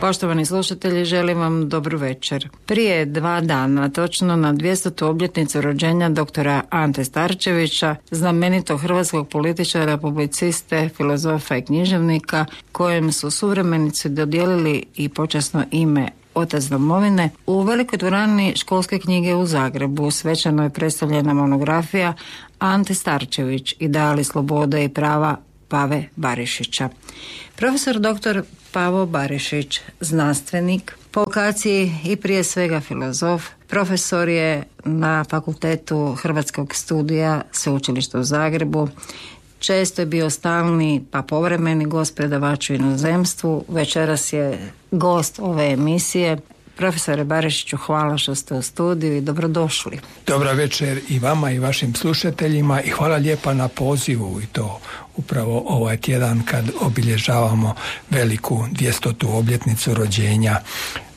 Poštovani slušatelji, želim vam dobru večer. Prije 2 dana, točno na 200. obljetnicu rođenja doktora Ante Starčevića, znamenitog hrvatskog političara, publiciste, filozofa i književnika, kojem su suvremenici dodijelili i počasno ime Otac domovine, u velikoj dvorani Školske knjige u Zagrebu svečano je predstavljena monografija Ante Starčević, ideali slobode i prava Pave Barišića. Profesor dr. Pavo Barišić, znanstvenik, po vokaciji i prije svega filozof, profesor je na Fakultetu Hrvatskog studija Sveučilišta u Zagrebu. Često je bio stalni pa povremeni gost predavaču u inozemstvu. Večeras je gost ove emisije. Profesore Barišiću, hvala što ste u studiju i dobrodošli. Dobra večer i vama i vašim slušateljima i hvala lijepa na pozivu, i to upravo ovaj tjedan kad obilježavamo veliku 200. obljetnicu rođenja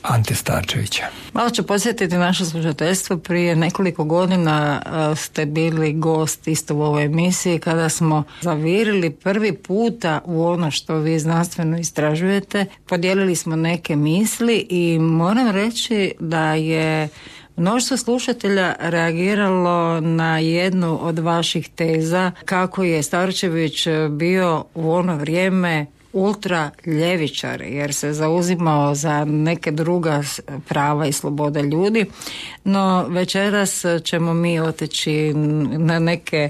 Ante Starčevića. Malo ću podsjetiti naše slušateljstvo, prije nekoliko godina ste bili gost isto u ovoj emisiji kada smo zavirili prvi puta u ono što vi znanstveno istražujete. Podijelili smo neke misli i moram reći da je mnoštvo slušatelja reagiralo na jednu od vaših teza kako je Starčević bio u ono vrijeme ultra ljevičar jer se zauzimao za neke druga prava i slobode ljudi, no večeras ćemo mi otići na neke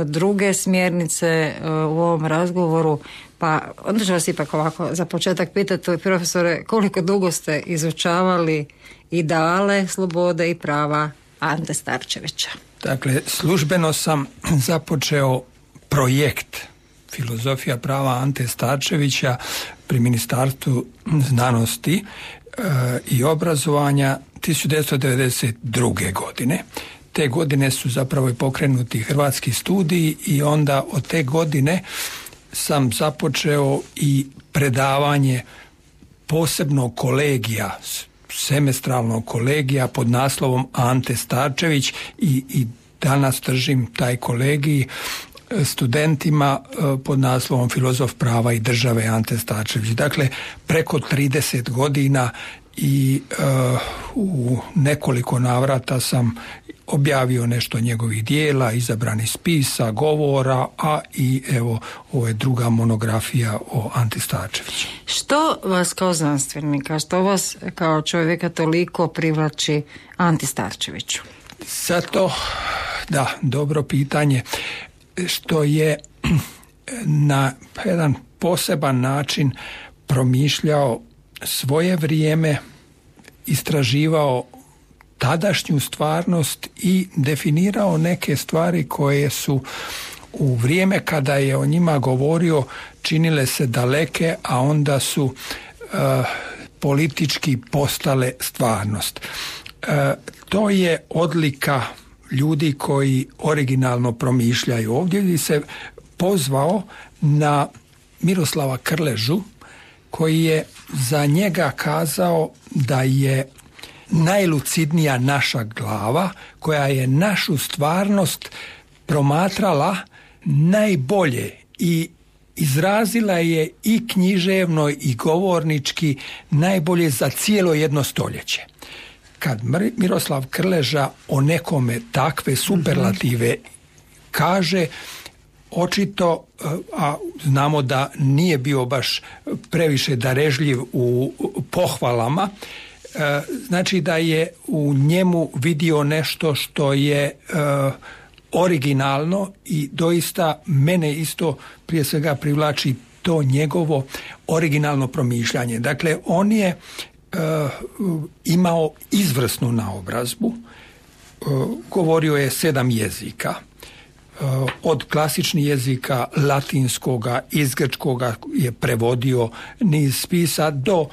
druge smjernice u ovom razgovoru, pa onda ću vas ipak ovako za početak pitati, profesore, koliko dugo ste izučavali ideale slobode i prava Ante Starčevića? Dakle, službeno sam započeo projekt Filozofija prava Ante Starčevića pri Ministarstvu znanosti i obrazovanja 1992. godine. Te godine su zapravo i pokrenuti hrvatski studiji i onda od te godine sam započeo i predavanje posebnog kolegija, semestralnog kolegija pod naslovom Ante Starčević i danas držim taj kolegij studentima pod naslovom Filozof prava i države Ante Starčević. Dakle, preko 30 godina i u nekoliko navrata sam objavio nešto njegovih dijela, izabrani spisa, govora, a i evo ovo je druga monografija o Ante Starčeviću. Što vas kao znanstvenika, što vas kao čovjeka toliko privlači Ante Starčeviću? Zato, da, dobro pitanje, što je na jedan poseban način promišljao svoje vrijeme, istraživao tadašnju stvarnost i definirao neke stvari koje su u vrijeme kada je o njima govorio činile se daleke, a onda su politički postale stvarnost. To je odlika ljudi koji originalno promišljaju. Ovdje bi se pozvao na Miroslava Krležu, koji je za njega kazao da je najlucidnija naša glava koja je našu stvarnost promatrala najbolje i izrazila je i književno i govornički najbolje za cijelo jedno stoljeće. Kad Miroslav Krleža o nekome takve superlative kaže, očito, a znamo da nije bio baš previše darežljiv u pohvalama, znači da je u njemu vidio nešto što je originalno i doista mene isto prije svega privlači to njegovo originalno promišljanje. Dakle, on je imao izvrsnu naobrazbu, govorio je 7 jezika, od klasičnih jezika latinskoga, iz grčkoga je prevodio niz spisa do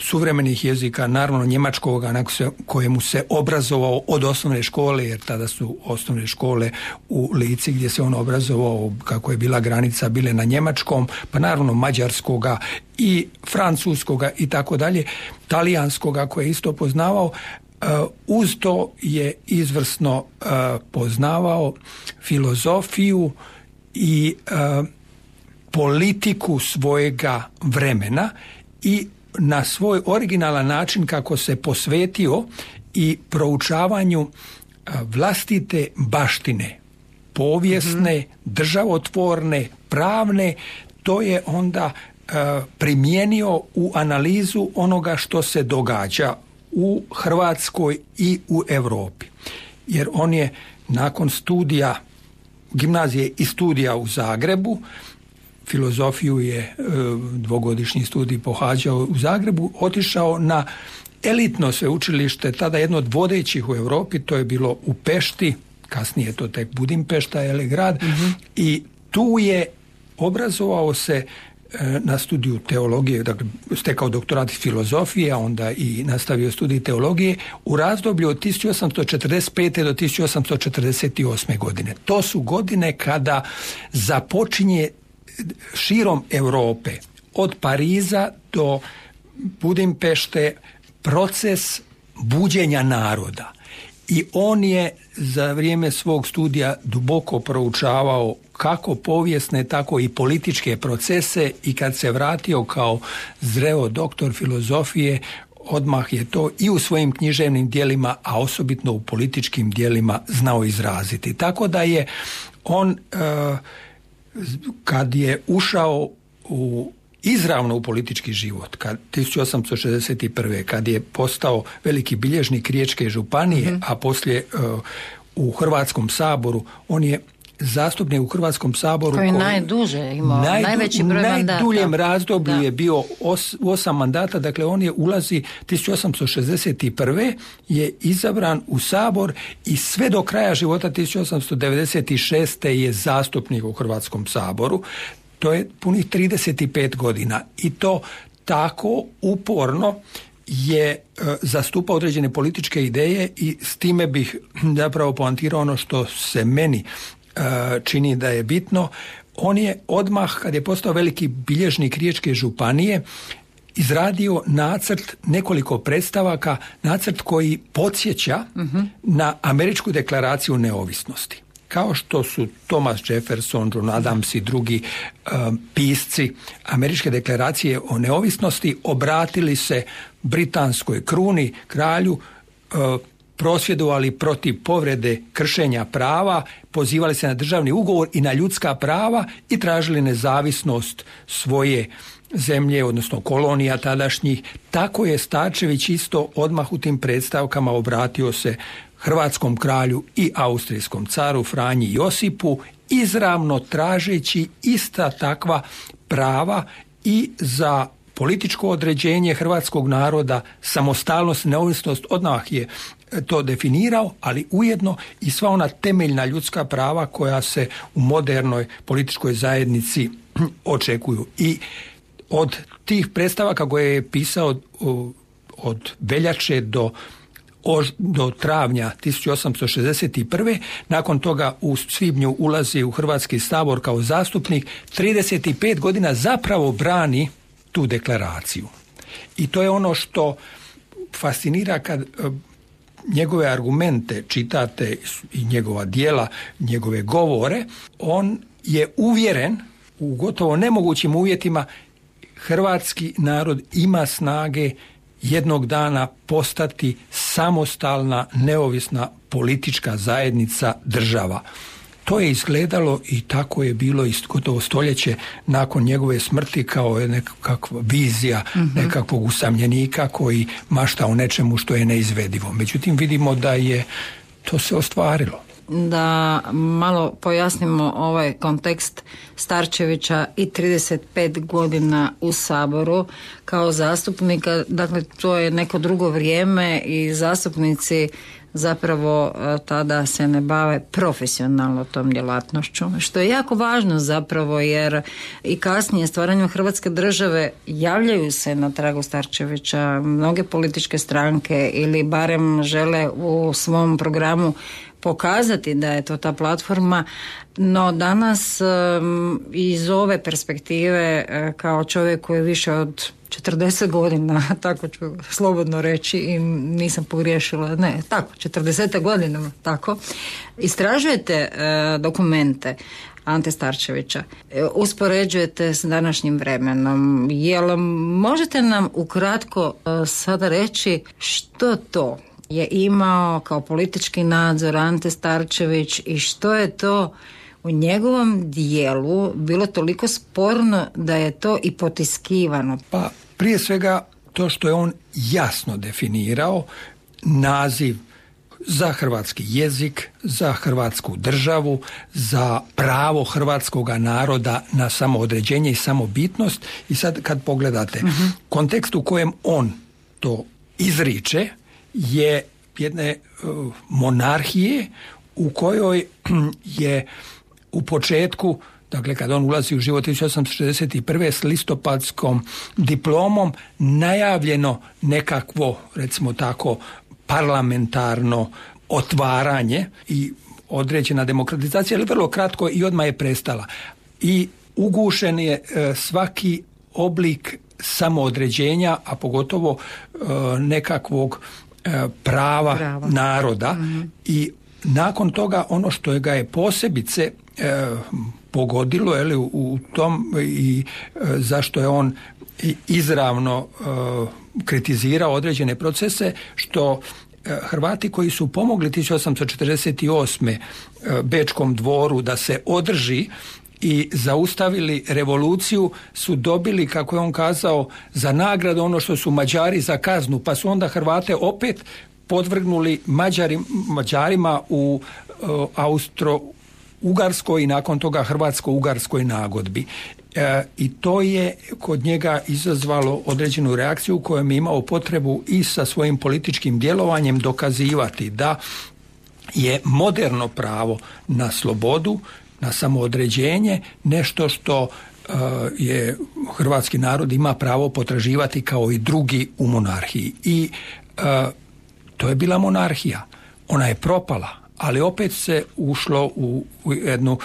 suvremenih jezika, naravno njemačkoga na kojemu se obrazovao od osnovne škole, jer tada su osnovne škole u Lici gdje se on obrazovao, kako je bila granica, bile na njemačkom, pa naravno mađarskoga i francuskoga i tako dalje, talijanskoga koje je isto poznavao. Uz to je izvrsno poznavao filozofiju i politiku svojega vremena i na svoj originalan način kako se posvetio i proučavanju vlastite baštine, povijesne, državotvorne, pravne, to je onda primijenio u analizu onoga što se događa u Hrvatskoj i u Europi. Jer on je nakon studija gimnazije i studija u Zagrebu, filozofiju je dvogodišnji studij pohađao u Zagrebu, otišao na elitno sveučilište, tada jedno od vodećih u Europi, to je bilo u Pešti, kasnije to tek Budimpešta je grad, i tu je obrazovao se na studiju teologije, dakle stekao doktorat filozofije, a onda i nastavio studij teologije u razdoblju od 1845. do 1848. godine. To su godine kada započinje širom Europe, od Pariza do Budimpešte, proces buđenja naroda. I on je za vrijeme svog studija duboko proučavao kako povijesne, tako i političke procese, i kad se vratio kao zreo doktor filozofije, odmah je to i u svojim književnim djelima, a osobito u političkim djelima znao izraziti. Tako da je on, kad je ušao izravno u politički život, 1861. kad je postao veliki bilježnik Riječke županije, a poslije u Hrvatskom saboru, on je zastupnik u Hrvatskom saboru koji najduže imao, najveći broj mandata. Najduljem razdoblju je bio 8 mandata, dakle on je ulazi 1861. je izabran u sabor i sve do kraja života 1896. je zastupnik u Hrvatskom saboru. To je punih 35 godina i to tako uporno je zastupao određene političke ideje, i s time bih zapravo poantirao ono što se meni čini da je bitno. On je odmah, kad je postao veliki bilježnik Riječke županije, izradio nacrt, nekoliko predstavaka, nacrt koji podsjeća na Američku deklaraciju neovisnosti. Kao što su Thomas Jefferson, John Adams i drugi pisci Američke deklaracije o neovisnosti obratili se britanskoj kruni, kralju, prosvjedovali protiv povrede kršenja prava, pozivali se na državni ugovor i na ljudska prava i tražili nezavisnost svoje zemlje, odnosno kolonija tadašnjih. Tako je Starčević isto odmah u tim predstavkama obratio se hrvatskom kralju i austrijskom caru Franji Josipu, izravno tražeći ista takva prava i za političko određenje hrvatskog naroda, samostalnost, neovisnost. Odmah je to definirao, ali ujedno i sva ona temeljna ljudska prava koja se u modernoj političkoj zajednici očekuju. I od tih predstavaka koje je pisao od veljače do travnja 1861. Nakon toga u svibnju ulazi u Hrvatski sabor kao zastupnik, 35 godina zapravo brani tu deklaraciju. I to je ono što fascinira kad njegove argumente čitate i njegova djela, njegove govore. On je uvjeren u gotovo nemogućim uvjetima hrvatski narod ima snage jednog dana postati samostalna, neovisna politička zajednica, država. To je izgledalo i tako je bilo i gotovo stoljeće nakon njegove smrti kao nekakva vizija nekakvog usamljenika koji mašta o nečemu što je neizvedivo. Međutim, vidimo da je to se ostvarilo. Da malo pojasnimo ovaj kontekst Starčevića i 35 godina u Saboru kao zastupnika. Dakle, to je neko drugo vrijeme i zastupnici zapravo tada se ne bave profesionalno tom djelatnošću, što je jako važno zapravo, jer i kasnije stvaranjem Hrvatske države javljaju se na tragu Starčevića mnoge političke stranke ili barem žele u svom programu pokazati da je to ta platforma, no danas iz ove perspektive kao čovjek koji je više od 40 godina, tako ću slobodno reći i nisam pogriješila, ne, tako, 40 godina, tako, istražujete dokumente Ante Starčevića, uspoređujete s današnjim vremenom. Jel možete nam ukratko sada reći što to je imao kao politički nadzor Ante Starčević i što je to u njegovom dijelu bilo toliko sporno da je to i potiskivano? Pa prije svega to što je on jasno definirao naziv za hrvatski jezik, za hrvatsku državu, za pravo hrvatskoga naroda na samoodređenje i samobitnost. I sad kad pogledate, kontekst u kojem on to izriče je jedne monarhije u kojoj je u početku, dakle kad on ulazi u život 1861. s listopadskom diplomom, najavljeno nekakvo, recimo tako, parlamentarno otvaranje i određena demokratizacija, ali vrlo kratko i odmah je prestala. I ugušen je svaki oblik samoodređenja, a pogotovo nekakvog prava naroda. I nakon toga ono što ga je posebice pogodilo u tom i zašto je on izravno kritizirao određene procese, što Hrvati koji su pomogli 1848. Bečkom dvoru da se održi i zaustavili revoluciju su dobili, kako je on kazao, za nagradu ono što su Mađari za kaznu, pa su onda Hrvate opet podvrgnuli Mađarima u Austro-Ugarskoj i nakon toga Hrvatsko-Ugarskoj nagodbi. I to je kod njega izazvalo određenu reakciju u kojoj je imao potrebu i sa svojim političkim djelovanjem dokazivati da je moderno pravo na slobodu, na samoodređenje, nešto što je hrvatski narod ima pravo potraživati kao i drugi u monarhiji. I to je bila monarhija. Ona je propala, ali opet se ušlo u jednu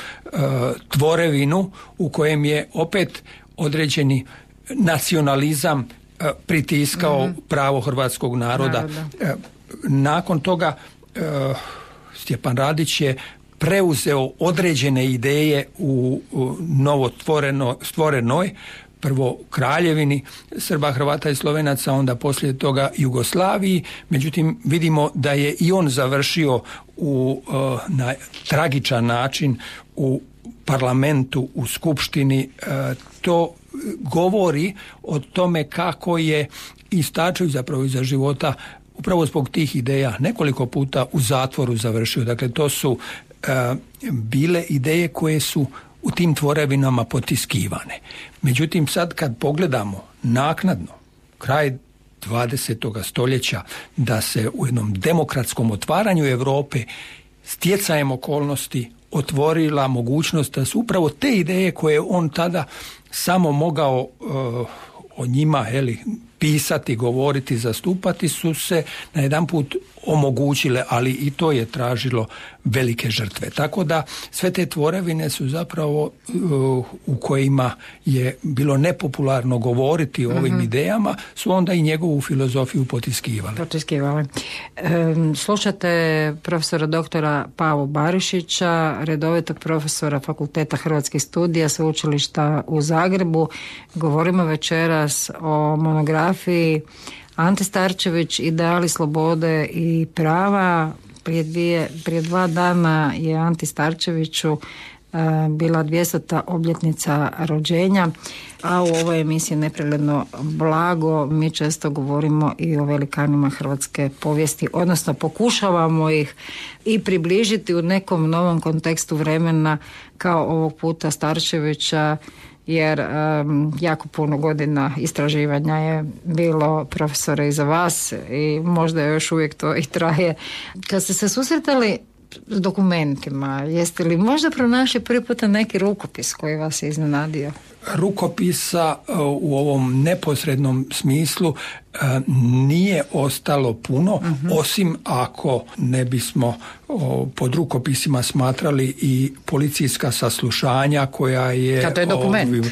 tvorevinu u kojem je opet određeni nacionalizam pritiskao pravo hrvatskog naroda. Nakon toga Stjepan Radić je preuzeo određene ideje u novo stvorenoj prvo Kraljevini Srba, Hrvata i Slovenaca, onda poslije toga Jugoslaviji. Međutim, vidimo da je i on završio na tragičan način u parlamentu, u skupštini. To govori o tome kako je i Starčević zapravo iza života upravo zbog tih ideja nekoliko puta u zatvoru završio. Dakle, to su bile ideje koje su u tim tvorevinama potiskivane. Međutim, sad kad pogledamo naknadno, kraj 20. stoljeća, da se u jednom demokratskom otvaranju Europe stjecajem okolnosti otvorila mogućnost da su upravo te ideje koje on tada samo mogao o njima pisati, govoriti, zastupati, su se najedanput omogućile, ali i to je tražilo velike žrtve. Tako da sve te tvorevine su zapravo u kojima je bilo nepopularno govoriti o ovim idejama, su onda i njegovu filozofiju potiskivali. Slušate profesora doktora Pavu Barišića, redovitog profesora Fakulteta hrvatskih studija Sveučilišta u Zagrebu. Govorimo večeras o monografiji Ante Starčević, ideali slobode i prava. Prije 2 dana je Anti Starčeviću bila 200. obljetnica rođenja, a u ovoj emisiji Nepregledno blago mi često govorimo i o velikanima hrvatske povijesti, odnosno pokušavamo ih i približiti u nekom novom kontekstu vremena, kao ovog puta Starčevića, jer jako puno godina istraživanja je bilo, profesore, iza vas i možda još uvijek to i traje. Kad ste se susretali s dokumentima, jeste li možda pronašli prvi puta neki rukopis koji vas je iznenadio? rukopisa u ovom neposrednom smislu nije ostalo puno, osim ako ne bismo pod rukopisima smatrali i policijska saslušanja koja je... To je dokument.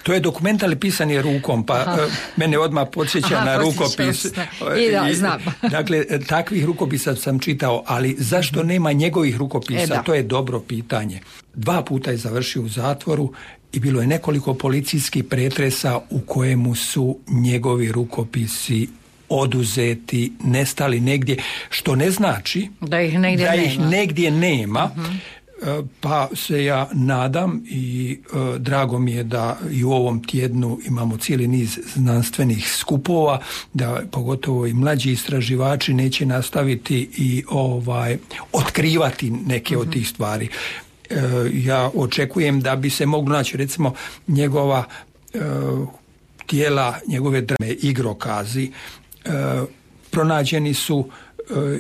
To je dokument, ali pisan je rukom, pa mene odmah podsjeća na rukopis. Znam. Dakle, takvih rukopisa sam čitao, ali zašto nema njegovih rukopisa? To je dobro pitanje. 2 puta je završio u zatvoru i bilo je nekoliko policijskih pretresa u kojemu su njegovi rukopisi oduzeti, nestali negdje, što ne znači da ih negdje nema. Pa se ja nadam i drago mi je da i u ovom tjednu imamo cijeli niz znanstvenih skupova, da pogotovo i mlađi istraživači neće nastaviti i otkrivati neke od tih stvari. Ja očekujem da bi se moglo naći recimo njegova tijela, njegove drame, igrokazi pronađeni su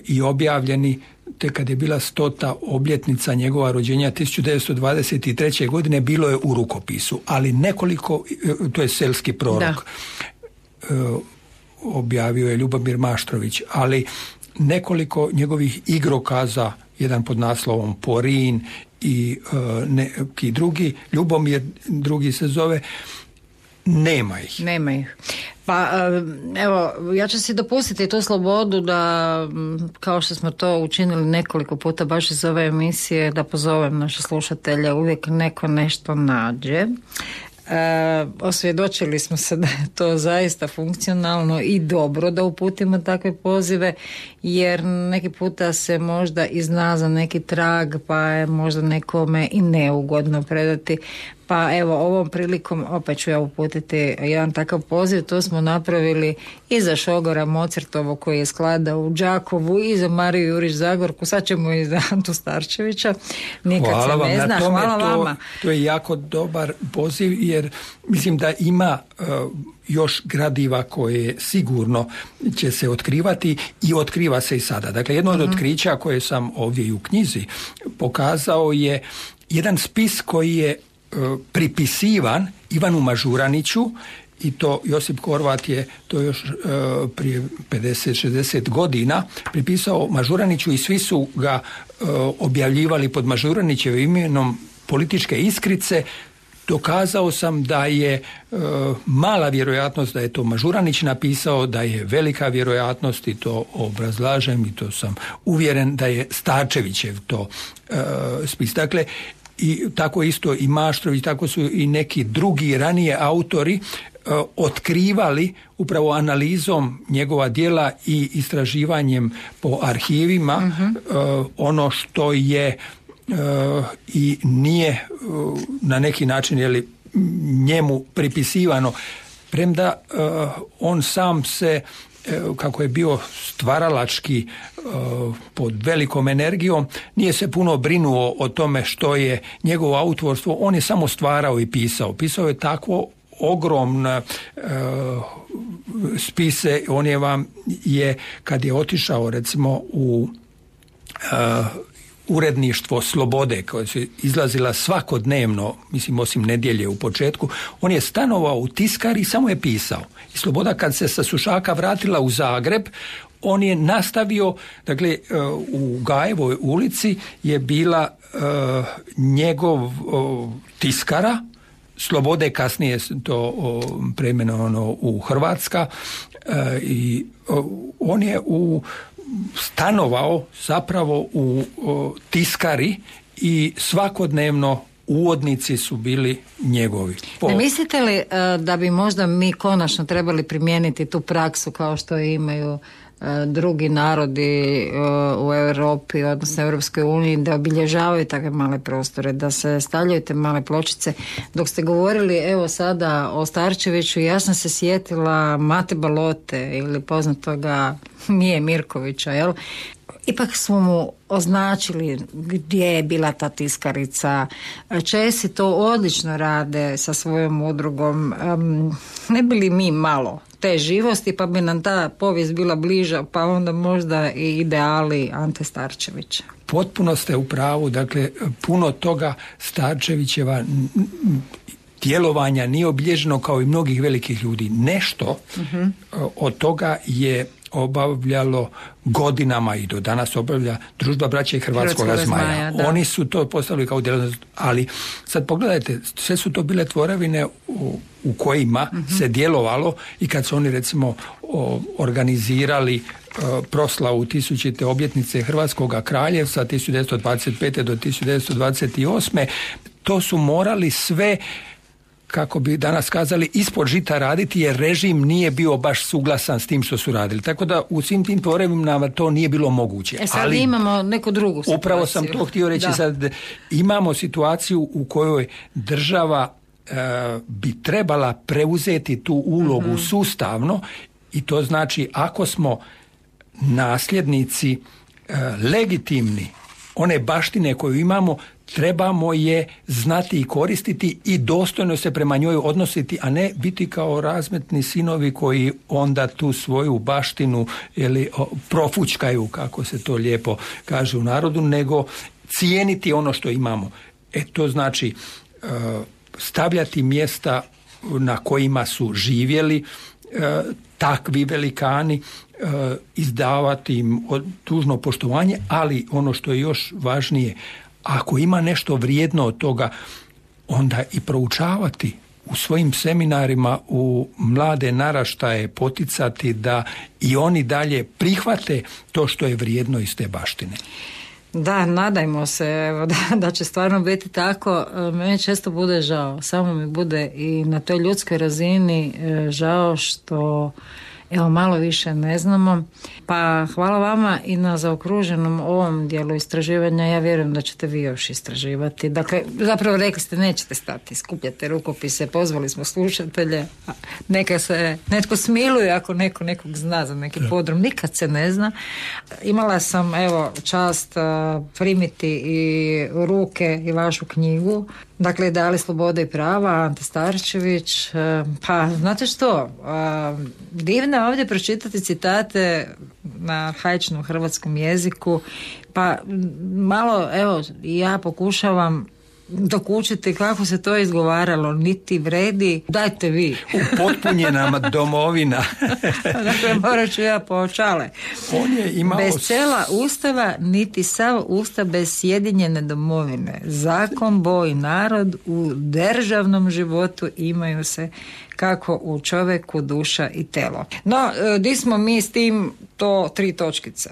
i objavljeni te kad je bila 100. obljetnica njegova rođenja 1923. godine, bilo je u rukopisu, ali nekoliko, to je Selski prorok, objavio je Ljubomir Maštrović, ali nekoliko njegovih igrokaza, jedan pod naslovom Porin i neki drugi, Ljubomir drugi se zove, nema ih. Pa evo, ja ću si dopustiti tu slobodu da, kao što smo to učinili nekoliko puta baš iz ove emisije, da pozovem naše slušatelje, uvijek neko nešto nađe. Osvjedočili smo se da je to zaista funkcionalno i dobro da uputimo takve pozive, jer neki puta se možda i zna za neki trag, pa je možda nekome i neugodno predati. Pa evo, ovom prilikom opet ću ja uputiti jedan takav poziv. To smo napravili i za Šogora Mozartovo koji je skladao u Đakovu, i za Mariju Jurić Zagorku, sad ćemo i za Antu Starčevića. Nikad hvala se ne zna. Hvala vama. To je jako dobar poziv, jer mislim da ima još gradiva koje sigurno će se otkrivati i otkriva se i sada. Dakle, jedno od otkrića koje sam ovdje i u knjizi pokazao je jedan spis koji je pripisivan Ivanu Mažuraniću, i to Josip Horvat je to još prije 50-60 godina pripisao Mažuraniću i svi su ga objavljivali pod Mažuranićevim imenom Političke iskrice. Dokazao sam da je mala vjerojatnost da je to Mažuranić napisao, da je velika vjerojatnost, i to obrazlažem i to sam uvjeren, da je Starčevićev to spis. Dakle, i tako isto i Maštrović, tako su i neki drugi ranije autori otkrivali upravo analizom njegova djela i istraživanjem po arhivima ono što je i nije na neki način njemu pripisivano, premda on sam se, kako je bio stvaralački pod velikom energijom, nije se puno brinuo o tome što je njegovo autorstvo, on je samo stvarao i pisao. Pisao je takvo ogromne spise, on je kad je otišao recimo u uredništvo Slobode, koje su izlazila svakodnevno, mislim osim nedjelje u početku, on je stanovao u tiskari i samo je pisao. I Sloboda kad se sa Sušaka vratila u Zagreb, on je nastavio, dakle u Gajevoj ulici je bila njegov tiskara, Slobode kasnije to preimenovano u Hrvatska, i on je stanovao zapravo u tiskari i svakodnevno uvodnici su bili njegovi. Ne mislite li da bi možda mi konačno trebali primijeniti tu praksu kao što imaju drugi narodi u Europi, odnosno Europskoj uniji, da obilježavaju takve male prostore, da se stavljaju te male pločice? Dok ste govorili evo sada o Starčeviću, ja sam se sjetila Mate Balote ili poznatoga Mije Mirkovića, jel? Ipak smo mu označili gdje je bila ta tiskarica. Česi to odlično rade sa svojom udrugom. Ne bi li mi malo te živosti, pa bi nam ta povijest bila bliža, pa onda možda i ideali Ante Starčevića. Potpuno ste u pravu, dakle puno toga Starčevićeva djelovanja nije obilježeno kao i mnogih velikih ljudi. Nešto od toga je obavljalo godinama i do danas obavlja Družba braće i Hrvatskog zmaja. Oni su to postavili kao djelatnost, ali sad pogledajte, sve su to bile tvorevine u kojima se djelovalo i kad su oni recimo organizirali proslavu 1000. obljetnice Hrvatskog kraljevstva 1925. do 1928. To su morali sve, kako bi danas kazali, ispod žita raditi jer režim nije bio baš suglasan s tim što su radili. Tako da u svim tim tvorevinama to nije bilo moguće. Sad ali imamo neku drugu situaciju. Upravo sam to htio reći sad. Imamo situaciju u kojoj država bi trebala preuzeti tu ulogu sustavno i to znači ako smo nasljednici legitimni one baštine koju imamo, trebamo je znati i koristiti i dostojno se prema njoj odnositi, a ne biti kao razmetni sinovi koji onda tu svoju baštinu profučkaju, kako se to lijepo kaže u narodu, nego cijeniti ono što imamo. To znači stavljati mjesta na kojima su živjeli takvi velikani, izdavati im dužno poštovanje, ali ono što je još važnije, ako ima nešto vrijedno od toga, onda i proučavati u svojim seminarima u mlade naraštaje, poticati da i oni dalje prihvate to što je vrijedno iz te baštine. Da, nadajmo se da će stvarno biti tako. Meni često bude žao, samo mi bude i na toj ljudskoj razini žao što malo više ne znamo. Pa hvala vama i na zaokruženom ovom dijelu istraživanja. Ja vjerujem da ćete vi još istraživati. Dakle, zapravo rekli ste nećete stati, skupljate rukopise, pozvali smo slušatelje. Neka se netko smiluje ako neko nekog zna za neki podrum. Nikad se ne zna. Imala sam čast primiti i u ruke i vašu knjigu. Dakle, Ideali slobode i prava, Ante Starčević. Pa, znate što, divno je ovdje pročitati citate na arhaičnom hrvatskom jeziku, pa malo, ja pokušavam dokučiti kako se to izgovaralo, niti vredi, dajte vi. Upotpunjena domovina. Dakle, morat ću ja poočale. On je imao... Bez cela ustava, niti sav ustav bez sjedinjene domovine. Zakon, boj, narod u državnom životu imaju se kako u čovjeku duša i telo. No, di smo mi s tim, to 3 točkice.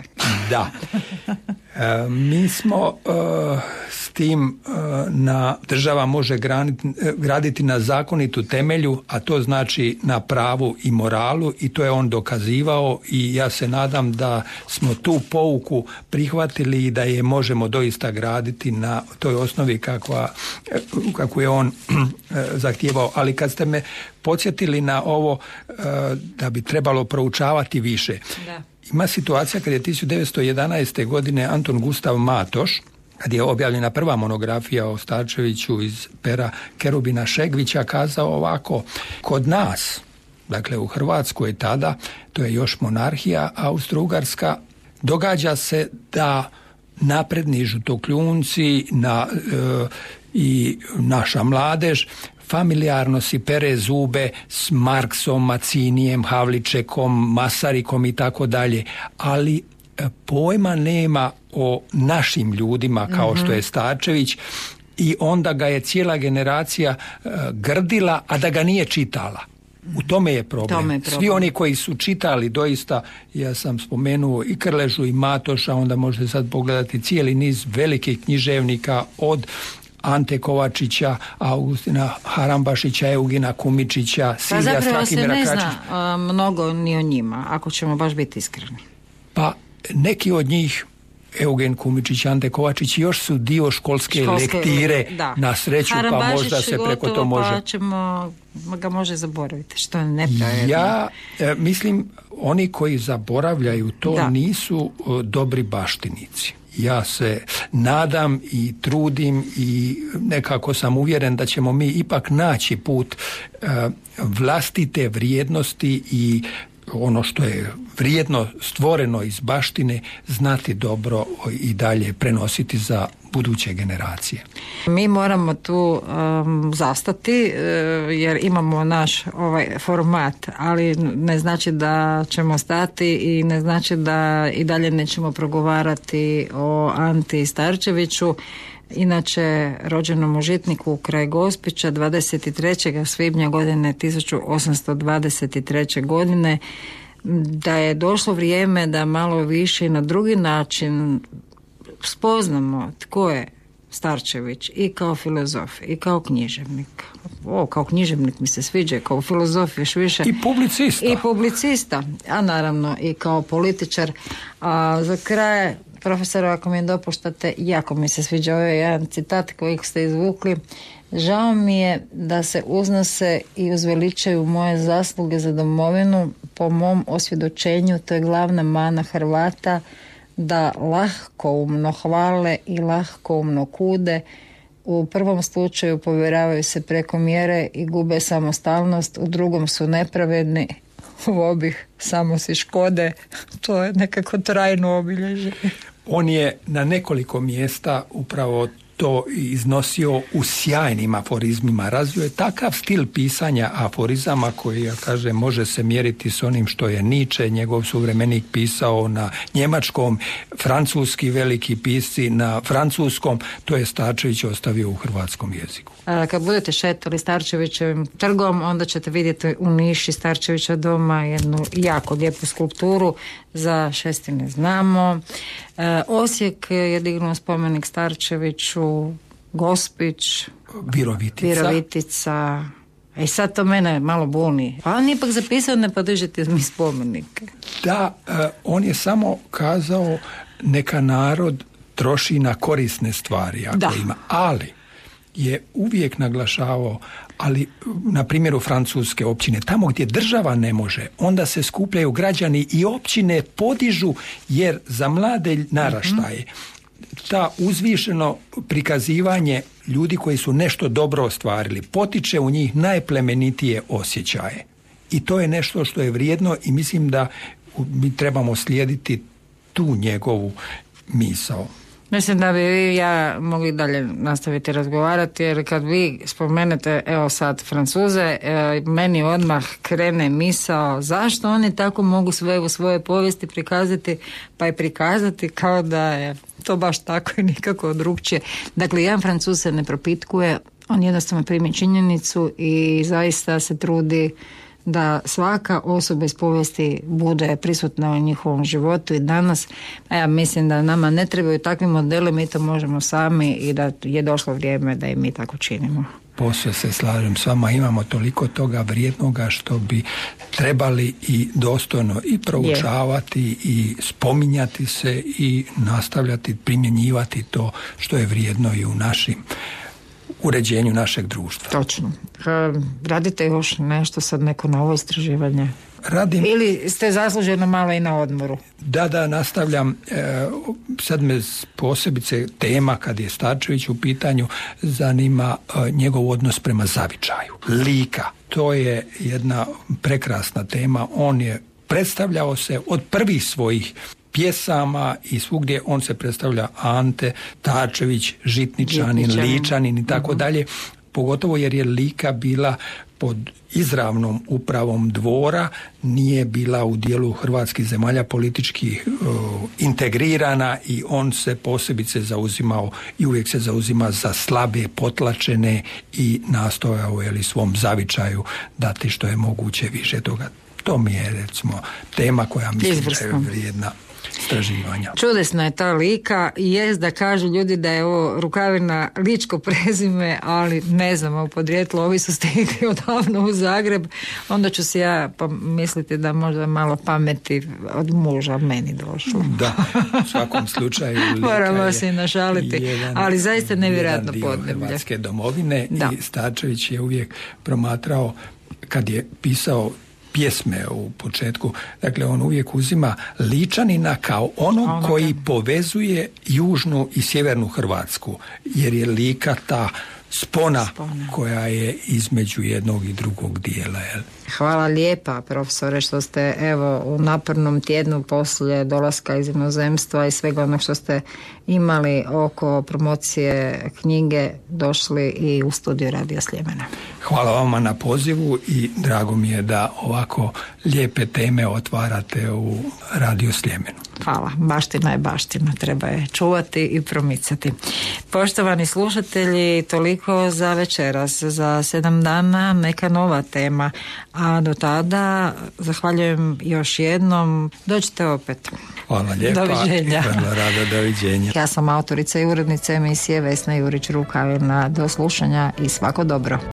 Da. Mi smo s tim država može graditi na zakonitu temelju, a to znači na pravu i moralu, i to je on dokazivao i ja se nadam da smo tu pouku prihvatili i da je možemo doista graditi na toj osnovi kakvu je on zahtijevao. Ali kad ste me podsjetili na ovo da bi trebalo proučavati više. Da. Ima situacija kad je 1911. godine Anton Gustav Matoš, kad je objavljena prva monografija o Starčeviću iz pera Kerubina Šegvića, kazao ovako: kod nas, dakle u Hrvatskoj tada, to je još monarhija Austro-Ugarska, događa se da napredni žutokljunci i naša mladež familijarno si pere zube s Marksom, Macinijem, Havličekom, Masarikom i tako dalje, ali pojma nema o našim ljudima kao što je Starčević, i onda ga je cijela generacija grdila, a da ga nije čitala. U tome je problem. Svi oni koji su čitali doista, ja sam spomenuo i Krležu i Matoša, onda možete sad pogledati cijeli niz velikih književnika od Ante Kovačića, Augustina Harambašića, Eugena Kumičića, Silvija Strahimira Kračića. Zapravo se ne zna mnogo ni o njima, ako ćemo baš biti iskreni. Pa neki od njih, Eugen Kumičić, Ante Kovačić, još su dio školske lektire, na sreću, pa možda se preko to može. Pa ćemo ga može zaboraviti, što je nepravedno. Ja mislim, oni koji zaboravljaju to nisu dobri baštinici. Ja se nadam i trudim i nekako sam uvjeren da ćemo mi ipak naći put vlastite vrijednosti i ono što je vrijedno stvoreno iz baštine znati dobro i dalje prenositi za buduće generacije. Mi moramo tu zastati jer imamo naš ovaj format, ali ne znači da ćemo stati i ne znači da i dalje nećemo progovarati o Anti Starčeviću. Inače, rođenom u Žitniku kraj Gospića 23. svibnja godine 1823. godine, da je došlo vrijeme da malo više i na drugi način spoznamo tko je Starčević i kao filozof i kao književnik. Kao književnik mi se sviđa, kao filozof još više. I publicista, a naravno i kao političar. A za kraj, profesora, ako mi dopuštate, jako mi se sviđa ovaj jedan citat koji ste izvukli. Žao mi je da se uznose i uzveličaju moje zasluge za domovinu. Po mom osvjedočenju to je glavna mana Hrvata, da lahkoumno hvale i lahkoumno kude. U prvom slučaju povjeravaju se preko mjere i gube samostalnost, u drugom su nepravedni, u obih samo si škode. To je nekako trajno obilježje. On je na nekoliko mjesta upravo to iznosio u sjajnim aforizmima. Razvio je takav stil pisanja aforizama koji, ja kažem, može se mjeriti s onim što je Nietzsche, njegov suvremenik, pisao na njemačkom, francuski veliki pisci na francuskom, to je Starčević ostavio u hrvatskom jeziku. Kad budete šetali Starčevićevim trgom, onda ćete vidjeti u niši Starčevića doma jednu jako lijepu skulpturu, za Šestine znamo. Osijek je dignuo spomenik Starčeviću, Gospić, Virovitica. I sad to mene malo buni. Pa on ipak zapisao ne podržite mi spomenike. Da, on je samo kazao neka narod troši na korisne stvari ako ima. Ali je uvijek naglašavao, ali na primjeru francuske općine, tamo gdje država ne može, onda se skupljaju građani i općine podižu, jer za mlade naraštaje ta uzvišeno prikazivanje ljudi koji su nešto dobro ostvarili potiče u njih najplemenitije osjećaje. I to je nešto što je vrijedno i mislim da mi trebamo slijediti tu njegovu misao. Mislim da bi vi i ja mogli dalje nastaviti razgovarati, jer kad vi spomenete, evo sad, Francuze, meni odmah krene misao zašto oni tako mogu sve u svoje povijesti prikazati, pa i prikazati kao da je to baš tako i nikako drugčije. Dakle, jedan Francuz se ne propitkuje, on jednostavno primi činjenicu i zaista se trudi da svaka osoba iz povijesti bude prisutna u njihovom životu i danas. Ja mislim da nama ne trebaju takvi modeli, mi to možemo sami i da je došlo vrijeme da i mi tako činimo. Posve se slažem s vama, imamo toliko toga vrijednoga što bi trebali i dostojno i proučavati i spominjati se i nastavljati primjenjivati to što je vrijedno i u našim uređenju našeg društva. Točno. Radite još nešto sad, neko novo istraživanje? Radim. Ili ste zasluženo malo i na odmoru? Da, nastavljam. Sad me posebice tema, kad je Starčević u pitanju, zanima njegov odnos prema zavičaju. Lika. To je jedna prekrasna tema. On je predstavljao se od prvih svojih pjesama i svugdje on se predstavlja Ante Starčević, Žitničanin, Ličanin i tako dalje, pogotovo jer je Lika bila pod izravnom upravom dvora, nije bila u dijelu hrvatskih zemalja politički integrirana i on se posebice zauzimao i uvijek se zauzima za slabe, potlačene i nastojao svom zavičaju dati što je moguće više toga. To mi je, recimo, tema koja mislim da je vrijedna istraživanja. Čudesna je ta Lika i jest da kažu ljudi da je ovo Rukavina ličko prezime, ali ne znam, u podrijetlu ovi su stigli odavno u Zagreb, onda ću si ja misliti da možda malo pameti od muža meni došlo. Da, u svakom slučaju Lika moramo se našaliti, ali zaista nevjerojatno podneblje. Hrvatske domovine. Da. I Starčević je uvijek promatrao, kad je pisao pjesme u početku, dakle on uvijek uzima Ličanina kao onog koji povezuje južnu i sjevernu Hrvatsku, jer je Lika ta spona koja je između jednog i drugog dijela. Jel? Hvala lijepa, profesore, što ste evo u napornom tjednu poslije dolaska iz inozemstva i svega onog što ste imali oko promocije knjige došli i u studiju Radio Sljemena. Hvala vama na pozivu i drago mi je da ovako lijepe teme otvarate u Radio Sljemenu. Hvala. Baština je baština. Treba je čuvati i promicati. Poštovani slušatelji, toliko za večeras. Za 7 dana neka nova tema. A do tada zahvaljujem još jednom. Dođite opet. Hvala lijepa. Doviđenja. Hvala rado, doviđenja. Ja sam autorica i urednica emisije Vesna Jurić-Rukavina. Do slušanja i svako dobro.